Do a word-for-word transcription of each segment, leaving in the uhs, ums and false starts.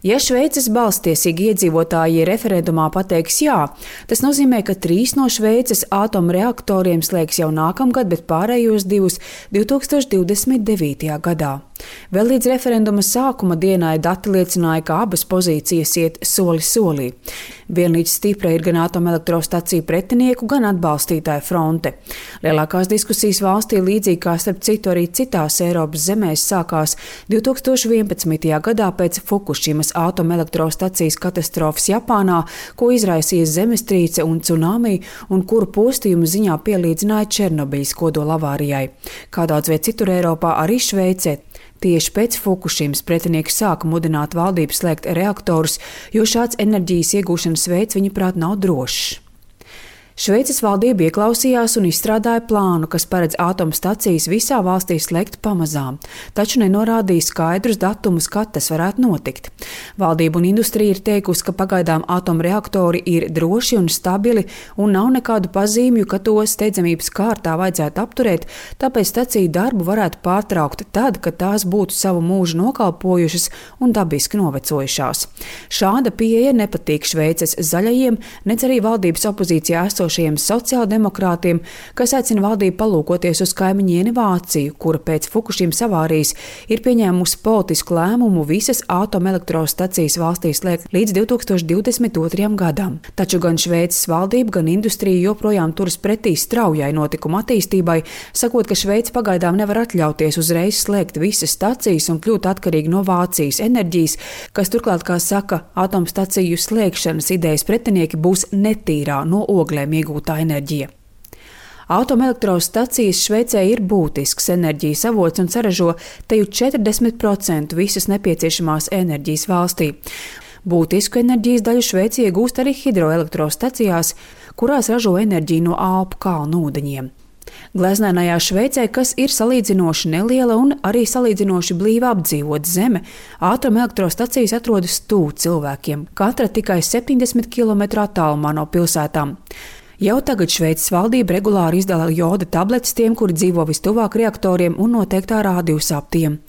Ja Šveices balsstiesīgi iedzīvotāji referendumā pateiks jā, tas nozīmē, ka trīs no Šveices atomreaktoriem slēgs jau nākamgad, bet pārējos divus divi tūkstoši divdesmit devītajā gadā. Vēl līdz referenduma sākuma dienai dati liecināja, ka abas pozīcijas iet soli solī. Vienlīdz stipra ir gan atomelektrostaciju pretinieku, gan atbalstītāju fronte. Lielākās diskusijas valstī, līdzīgi kā starp citu arī citās Eiropas zemēs, sākās divi tūkstoši vienpadsmitajā gadā pēc Fukušimas atomelektrostacijas katastrofas Japānā, ko izraisīja zemestrīce un cunami, un kuru postījumu ziņā pielīdzināja Černobiļas kodolavārijai. Kā daudz viet citur Eiropā, arī Šveicē. Tieši pēc Fukušimas pretinieki sāka mudināt valdību slēgt reaktorus, jo šāds enerģijas iegūšanas veids, viņuprāt, nav drošs. Šveices valdība ieklausījās un izstrādāja plānu, kas paredz atomstacijas visā valstī slēgt pamazām, taču nenorādīja skaidrus datumus, kad tas varētu notikt. Valdība un industrija ir teikusi, ka pagaidām atomreaktori ir droši un stabili un nav nekādu pazīmju, ka to steidzamības kārtā vajadzētu apturēt, tāpēc staciju darbu varētu pārtraukt tad, kad tās būtu savu mūžu nokalpojušas un dabiski novecojušās. Šāda pieeja nepatīk Šveices zaļajiem, nec arī valdības opozīcijā esošajiem sociāldemokrātiem, kas aicina valdību palūkoties uz kaimiņieni Vāciju, kura pēc Fukušimas avārijas ir pieņēmusi politisku lēmumu visas atomelektrostacijas valstī slēgt līdz divi tūkstoši divdesmit otrajam gadam. Taču gan Šveices valdība, gan industrija joprojām turas pretī straujai notikuma attīstībai, sakot, ka Šveice pagaidām nevar atļauties uzreiz slēgt visas stacijas un kļūt atkarīgi no Vācijas enerģijas, kas turklāt, kā saka, atomstaciju slēgšanas idejas pretinieki, būs netīrā no oglēm iegūtā enerģija. Atomelektrostacijas Šveicē ir būtisks enerģijas avots un saražo teju četrdesmit procenti visas nepieciešamās enerģijas valstī. Būtisku enerģijas daļu Šveice iegūst arī hidroelektrostacijās, kurās ražo enerģiju no Alpu kalnu ūdeņiem. Gleznainajā Šveicē, kas ir salīdzinoši neliela un arī salīdzinoši blīvi apdzīvota zeme, atomelektrostacijas atrodas tuvu cilvēkiem, katra tikai septiņdesmit kilometru attālumā no pilsētām. Jau tagad Šveices valdība regulāri izdala joda tabletes tiem, kuri dzīvo vistuvāk reaktoriem un noteiktā rādījusā ap tiem.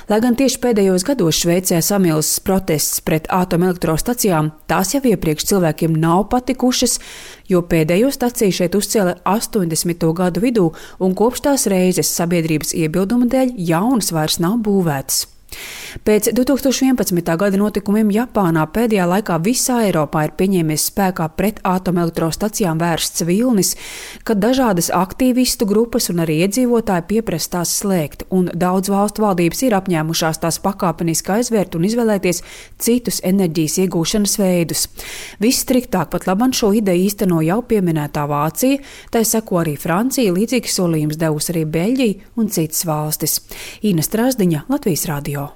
Lai gan tieši pēdējos gados Šveicē samilzis protests pret atomelektrostacijām, tās jau iepriekš cilvēkiem nav patikušas, jo pēdējo staciju šeit uzcēla astoņdesmito gadu vidū, un kopš tās reizes sabiedrības iebilduma dēļ jaunas vairs nav būvētas. Pēc divi tūkstoši vienpadsmitā gada notikumiem Japānā pēdējā laikā visā Eiropā ir pieņēmies spēkā pret atomelektrostacijām vērsts vilnis, kad dažādas aktīvistu grupas un arī iedzīvotāji pieprasa tās slēgt, un daudz valstu valdības ir apņēmušās tās pakāpeniski aizvērt un izvēlēties citus enerģijas iegūšanas veidus. Visstriktāk pat labam šo ideju īsteno jau pieminētā Vācija, tai seko arī Francija, līdzīgs solījums devusi arī Beļģija un citas valstis. Ina Strasdiņa, Latvijas radio.